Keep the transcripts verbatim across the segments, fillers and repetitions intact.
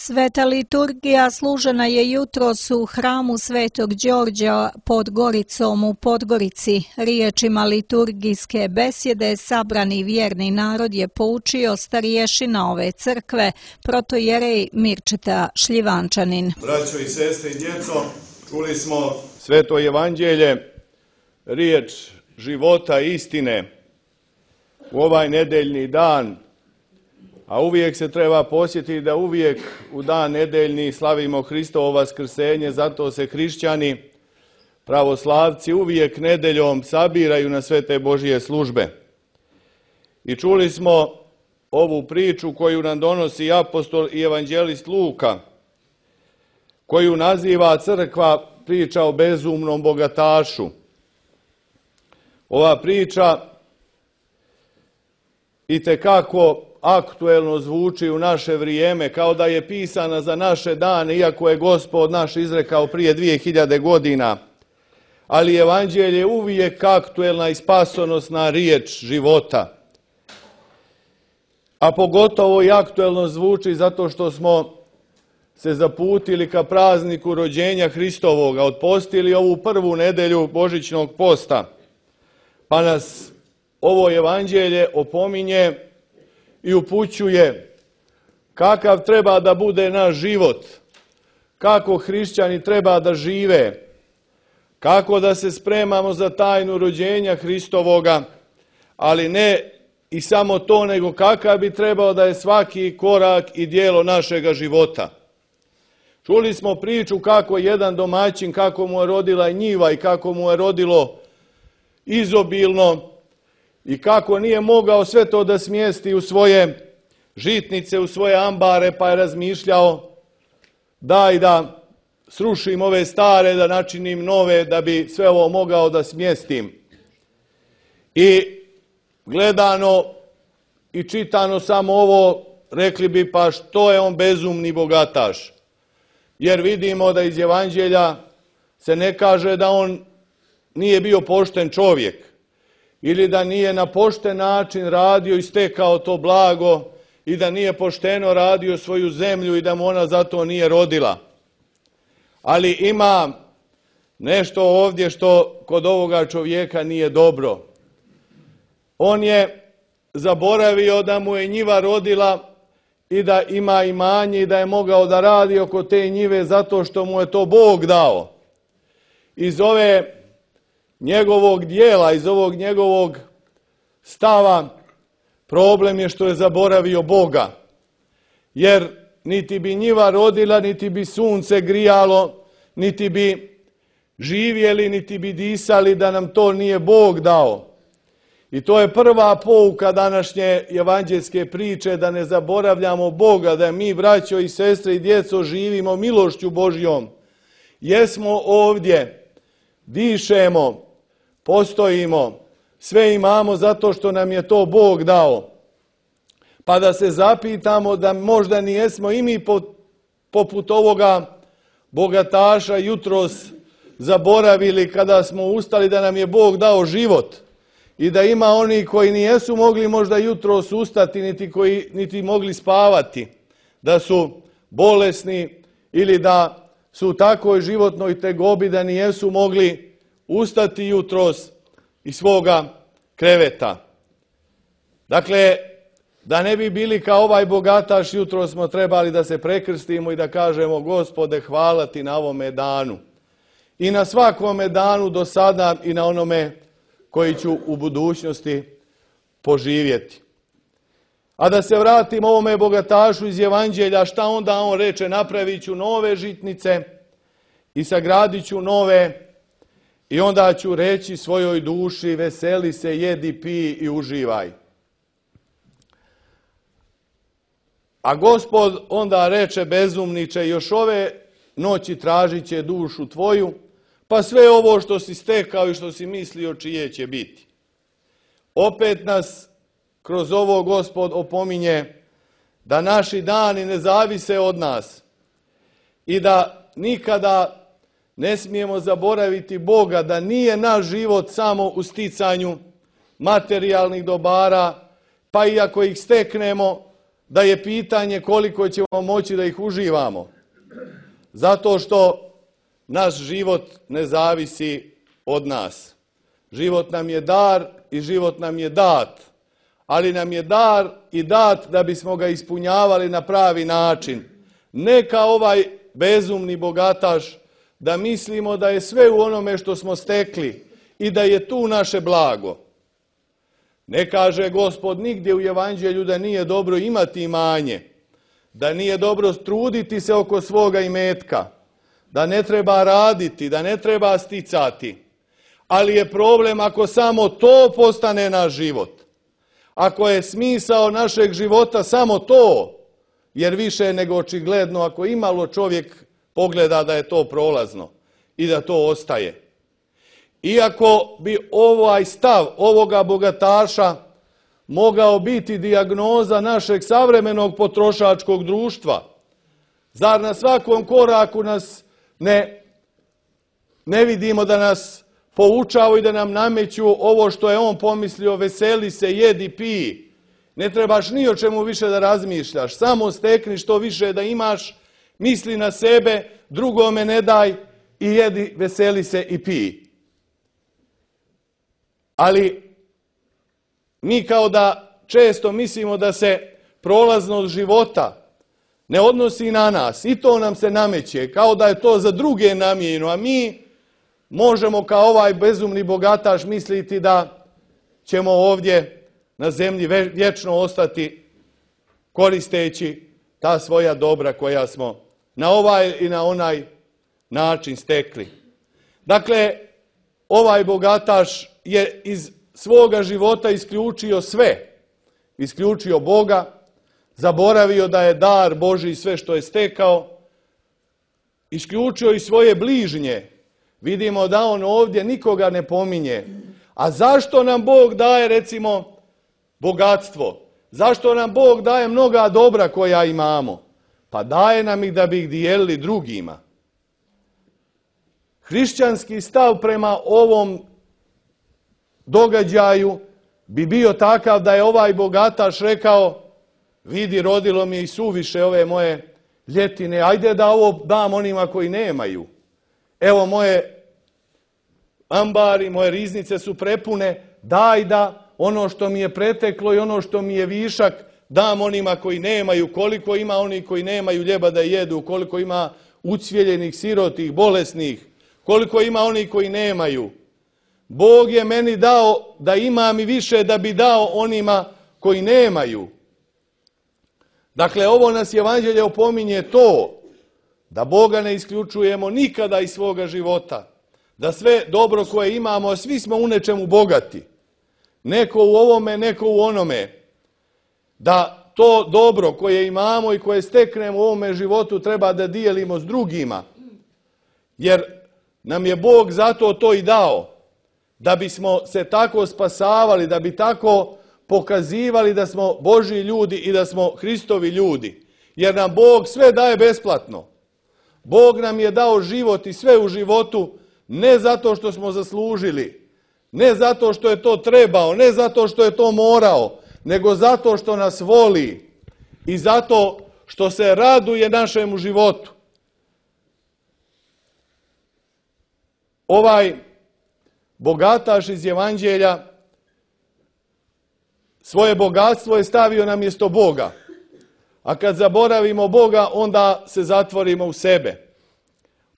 Sveta liturgija služena je jutros u hramu Svetog Đorđa pod Goricom u Podgorici. Riječima liturgijske besjede sabrani vjerni narod je poučio starješina ove crkve, protojerej Mirčeta Šljivančanin. Braćo i sestre i djeco, čuli smo Sveto evanđelje, riječ života i istine u ovaj nedeljni dan. A uvijek se treba posjetiti da uvijek u dan nedeljni slavimo Hristovo vaskrsenje, zato se hrišćani, pravoslavci uvijek nedeljom sabiraju na sve te Božje službe. I čuli smo ovu priču koju nam donosi apostol i evanđelist Luka, koju naziva crkva priča o bezumnom bogatašu. Ova priča itekako aktuelno zvuči u naše vrijeme, kao da je pisana za naše dane, iako je Gospod naš izrekao prije dvije hiljade godina. Ali evanđelje je uvijek aktuelna i spasonosna riječ života. A pogotovo i aktuelno zvuči zato što smo se zaputili ka prazniku rođenja Hristovoga, otpostili ovu prvu nedelju Božićnog posta. Pa nas ovo evanđelje opominje i upućuje kakav treba da bude naš život, kako hrišćani treba da žive, kako da se spremamo za tajnu rođenja Hristovoga, ali ne i samo to, nego kakav bi trebao da je svaki korak i dijelo našega života. Čuli smo priču kako jedan domaćin, kako mu je rodila njiva i kako mu je rodilo izobilno, i kako nije mogao sve to da smjesti u svoje žitnice, u svoje ambare, pa je razmišljao daj da srušim ove stare, da načinim nove, da bi sve ovo mogao da smjestim. I gledano i čitano samo ovo, rekli bi pa što je on bezumni bogataš. Jer vidimo da iz evanđelja se ne kaže da on nije bio pošten čovjek, ili da nije na pošten način radio i stekao to blago i da nije pošteno radio svoju zemlju i da mu ona zato nije rodila. Ali ima nešto ovdje što kod ovoga čovjeka nije dobro. On je zaboravio da mu je njiva rodila i da ima imanje i da je mogao da radi oko te njive zato što mu je to Bog dao. Iz ove njegovog dijela, iz ovog njegovog stava, problem je što je zaboravio Boga. Jer niti bi njiva rodila, niti bi sunce grijalo, niti bi živjeli, niti bi disali da nam to nije Bog dao. I to je prva pouka današnje evanđelske priče, da ne zaboravljamo Boga, da mi, braćo i sestre i djeco, živimo milošću Božjom. Jesmo ovdje, dišemo, postojimo, sve imamo zato što nam je to Bog dao. Pa da se zapitamo da možda nijesmo i mi poput ovoga bogataša jutros zaboravili kada smo ustali da nam je Bog dao život i da ima oni koji nijesu mogli možda jutros ustati niti koji niti mogli spavati, da su bolesni ili da su u takvoj životnoj tegobi da nijesu mogli ustati jutros iz svoga kreveta. Dakle, da ne bi bili kao ovaj bogataš, jutros smo trebali da se prekrstimo i da kažemo Gospode, hvala ti na ovome danu. I na svakome danu do sada i na onome koji ću u budućnosti poživjeti. A da se vratimo ovome bogatašu iz evanđelja, šta onda on reče? Napravit ću nove žitnice i sagradit ću nove. I onda ću reći svojoj duši, veseli se, jedi, pi i uživaj. A Gospod onda reče, bezumniče, još ove noći tražit će dušu tvoju, pa sve ovo što si stekao i što si mislio čije će biti. Opet nas kroz ovo Gospod opominje da naši dani ne zavise od nas i da nikada ne smijemo zaboraviti Boga, da nije naš život samo u sticanju materijalnih dobara, pa i ako ih steknemo, da je pitanje koliko ćemo moći da ih uživamo. Zato što naš život ne zavisi od nas. Život nam je dar i život nam je dat. Ali nam je dar i dat da bismo ga ispunjavali na pravi način. Ne kao ovaj bezumni bogataš da mislimo da je sve u onome što smo stekli i da je tu naše blago. Ne kaže Gospod nigdje u Evanđelju da nije dobro imati imanje, da nije dobro truditi se oko svoga imetka, da ne treba raditi, da ne treba sticati. Ali je problem ako samo to postane naš život. Ako je smisao našeg života samo to, jer više je nego očigledno ako imalo čovjek pogleda da je to prolazno i da to ostaje. Iako bi ovaj stav ovoga bogataša mogao biti dijagnoza našeg savremenog potrošačkog društva, zar na svakom koraku nas ne, ne vidimo da nas poučavaju i da nam nameću ovo što je on pomislio, veseli se, jedi, piji. Ne trebaš ni o čemu više da razmišljaš, samo stekni što više da imaš, misli na sebe, drugome ne daj i jedi, veseli se i piji. Ali mi kao da često mislimo da se prolaznost života ne odnosi na nas i to nam se nameće, kao da je to za druge namijenjeno, a mi možemo kao ovaj bezumni bogataš misliti da ćemo ovdje na zemlji vječno ostati koristeći ta svoja dobra koja smo na ovaj i na onaj način stekli. Dakle, ovaj bogataš je iz svoga života isključio sve. Isključio Boga, zaboravio da je dar Božji sve što je stekao, isključio i svoje bližnje. Vidimo da on ovdje nikoga ne pominje. A zašto nam Bog daje, recimo, bogatstvo? Zašto nam Bog daje mnoga dobra koja imamo? Pa daje nam ih da bi ih dijelili drugima. Hrišćanski stav prema ovom događaju bi bio takav da je ovaj bogataš rekao, vidi, rodilo mi je i suviše ove moje ljetine, ajde da ovo dam onima koji nemaju. Evo moje ambari, moje riznice su prepune, daj da ono što mi je preteklo i ono što mi je višak dam onima koji nemaju. Koliko ima onih koji nemaju ljeba da jedu, koliko ima ucvjeljenih, sirotih, bolesnih, koliko ima onih koji nemaju. Bog je meni dao da imam i više da bi dao onima koji nemaju. Dakle, ovo nas Evanđelje opominje to, da Boga ne isključujemo nikada iz svoga života, da sve dobro koje imamo, svi smo u nečemu bogati, neko u ovome, neko u onome, da to dobro koje imamo i koje steknemo u ovome životu treba da dijelimo s drugima, jer nam je Bog zato to i dao, da bismo se tako spasavali, da bi tako pokazivali da smo Božji ljudi i da smo Hristovi ljudi. Jer nam Bog sve daje besplatno. Bog nam je dao život i sve u životu ne zato što smo zaslužili, ne zato što je to trebao, ne zato što je to morao, nego zato što nas voli i zato što se raduje našemu životu. Ovaj bogataš iz Evanđelja svoje bogatstvo je stavio na mjesto Boga. A kad zaboravimo Boga, onda se zatvorimo u sebe.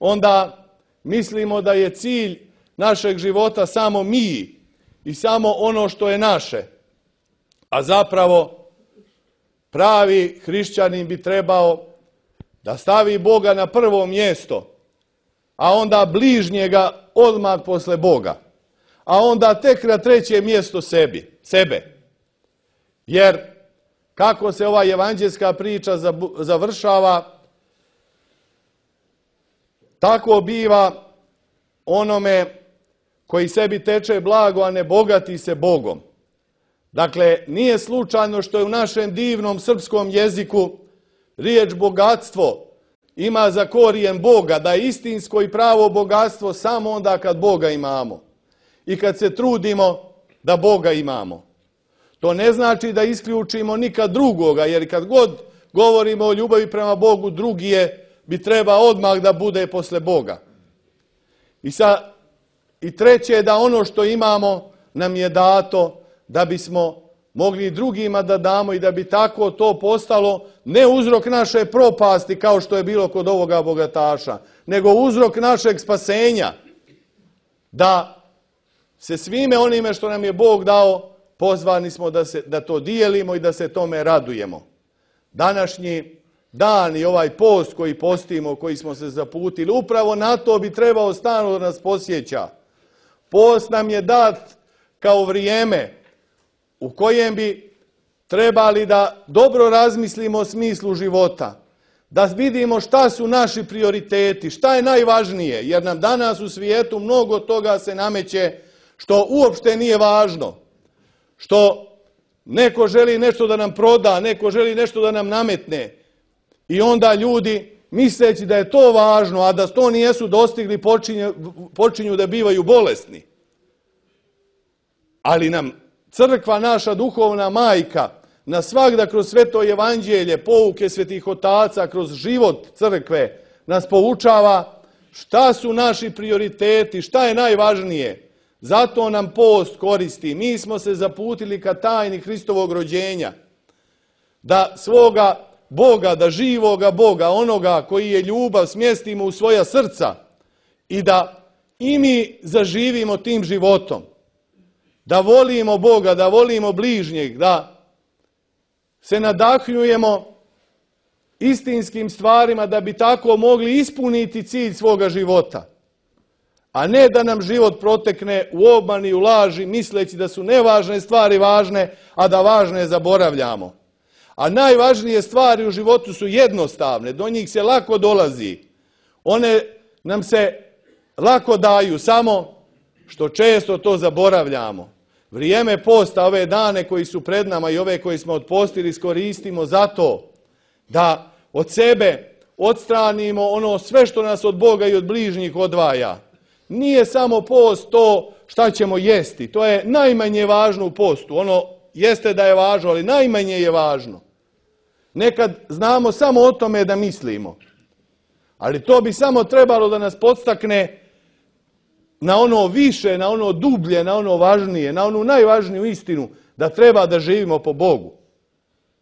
Onda mislimo da je cilj našeg života samo mi i samo ono što je naše. A zapravo pravi hrišćanin bi trebao da stavi Boga na prvo mjesto, a onda bližnjega odmah posle Boga. A onda tek na treće mjesto sebi, sebe. Jer kako se ova evanđelska priča završava, tako biva onome koji sebi teče blago, a ne bogati se Bogom. Dakle, nije slučajno što je u našem divnom srpskom jeziku riječ bogatstvo ima za korijen Boga, da je istinsko i pravo bogatstvo samo onda kad Boga imamo i kad se trudimo da Boga imamo. To ne znači da isključimo nikad drugoga, jer kad god govorimo o ljubavi prema Bogu, drugi je, bi treba odmah da bude posle Boga. I, sa, i treće je da ono što imamo nam je dato da bismo mogli drugima da damo i da bi tako to postalo ne uzrok naše propasti kao što je bilo kod ovoga bogataša, nego uzrok našeg spasenja. Da se svime onime što nam je Bog dao, pozvani smo da, se, da to dijelimo i da se tome radujemo. Današnji dan i ovaj post koji postimo, koji smo se zaputili, upravo na to bi trebao stalno da nas posjeća. Post nam je dat kao vrijeme u kojem bi trebali da dobro razmislimo o smislu života, da vidimo šta su naši prioriteti, šta je najvažnije, jer nam danas u svijetu mnogo toga se nameće što uopšte nije važno, što neko želi nešto da nam proda, neko želi nešto da nam nametne i onda ljudi, misleći da je to važno, a da to nijesu dostigli, počinju, počinju da bivaju bolesni. Ali nam crkva, naša duhovna majka, na svagda kroz sveto evanđelje, pouke svetih otaca, kroz život crkve, nas poučava šta su naši prioriteti, šta je najvažnije. Zato nam post koristi. Mi smo se zaputili ka tajni Hristovog rođenja. Da svoga Boga, da živoga Boga, onoga koji je ljubav, smjestimo u svoja srca i da i mi zaživimo tim životom. Da volimo Boga, da volimo bližnjeg, da se nadahnjujemo istinskim stvarima da bi tako mogli ispuniti cilj svoga života. A ne da nam život protekne u obmani, u laži, misleći da su nevažne stvari važne, a da važne zaboravljamo. A najvažnije stvari u životu su jednostavne, do njih se lako dolazi. One nam se lako daju, samo što često to zaboravljamo. Vrijeme posta, ove dane koji su pred nama i ove koji smo otpostili, iskoristimo zato da od sebe odstranimo ono sve što nas od Boga i od bližnjih odvaja. Nije samo post to šta ćemo jesti, to je najmanje važno u postu. Ono jeste da je važno, ali najmanje je važno. Nekad znamo samo o tome da mislimo, ali to bi samo trebalo da nas podstakne na ono više, na ono dublje, na ono važnije, na onu najvažniju istinu, da treba da živimo po Bogu.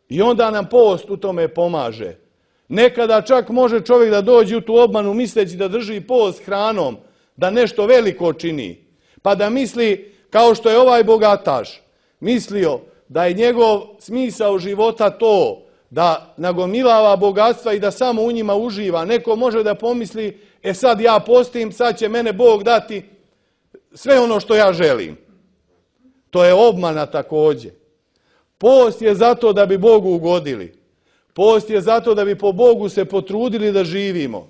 I onda nam post u tome pomaže. Nekada čak može čovjek da dođe u tu obmanu misleći da drži post hranom, da nešto veliko čini. Pa da misli, kao što je ovaj bogataš mislio, da je njegov smisao života to, da nagomilava bogatstva i da samo u njima uživa. Neko može da pomisli, e sad ja postim, sad će mene Bog dati sve ono što ja želim. To je obmana također. Post je zato da bi Bogu ugodili. Post je zato da bi po Bogu se potrudili da živimo.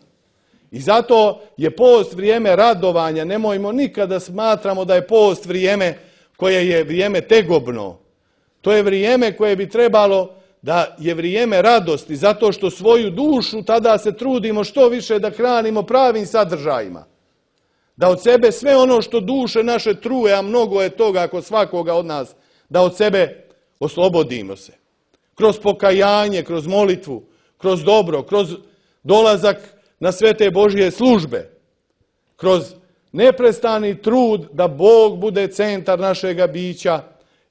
I zato je post vrijeme radovanja. Nemojmo nikada smatramo da je post vrijeme koje je vrijeme tegobno. To je vrijeme koje bi trebalo da je vrijeme radosti, zato što svoju dušu tada se trudimo što više da hranimo pravim sadržajima. Da od sebe sve ono što duše naše truje, a mnogo je toga kod svakoga od nas, da od sebe oslobodimo se. Kroz pokajanje, kroz molitvu, kroz dobro, kroz dolazak na sve te Božje službe, kroz neprestani trud da Bog bude centar našega bića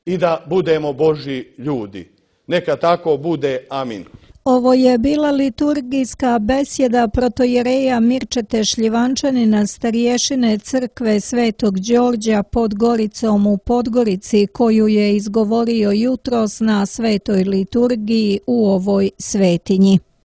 i da budemo Božji ljudi. Neka tako bude. Amin. Ovo je bila liturgijska besjeda protojereja Mirčete Šljivančanina, starješine crkve Svetog Đorđa pod Goricom u Podgorici, koju je izgovorio jutros na svetoj liturgiji u ovoj svetinji.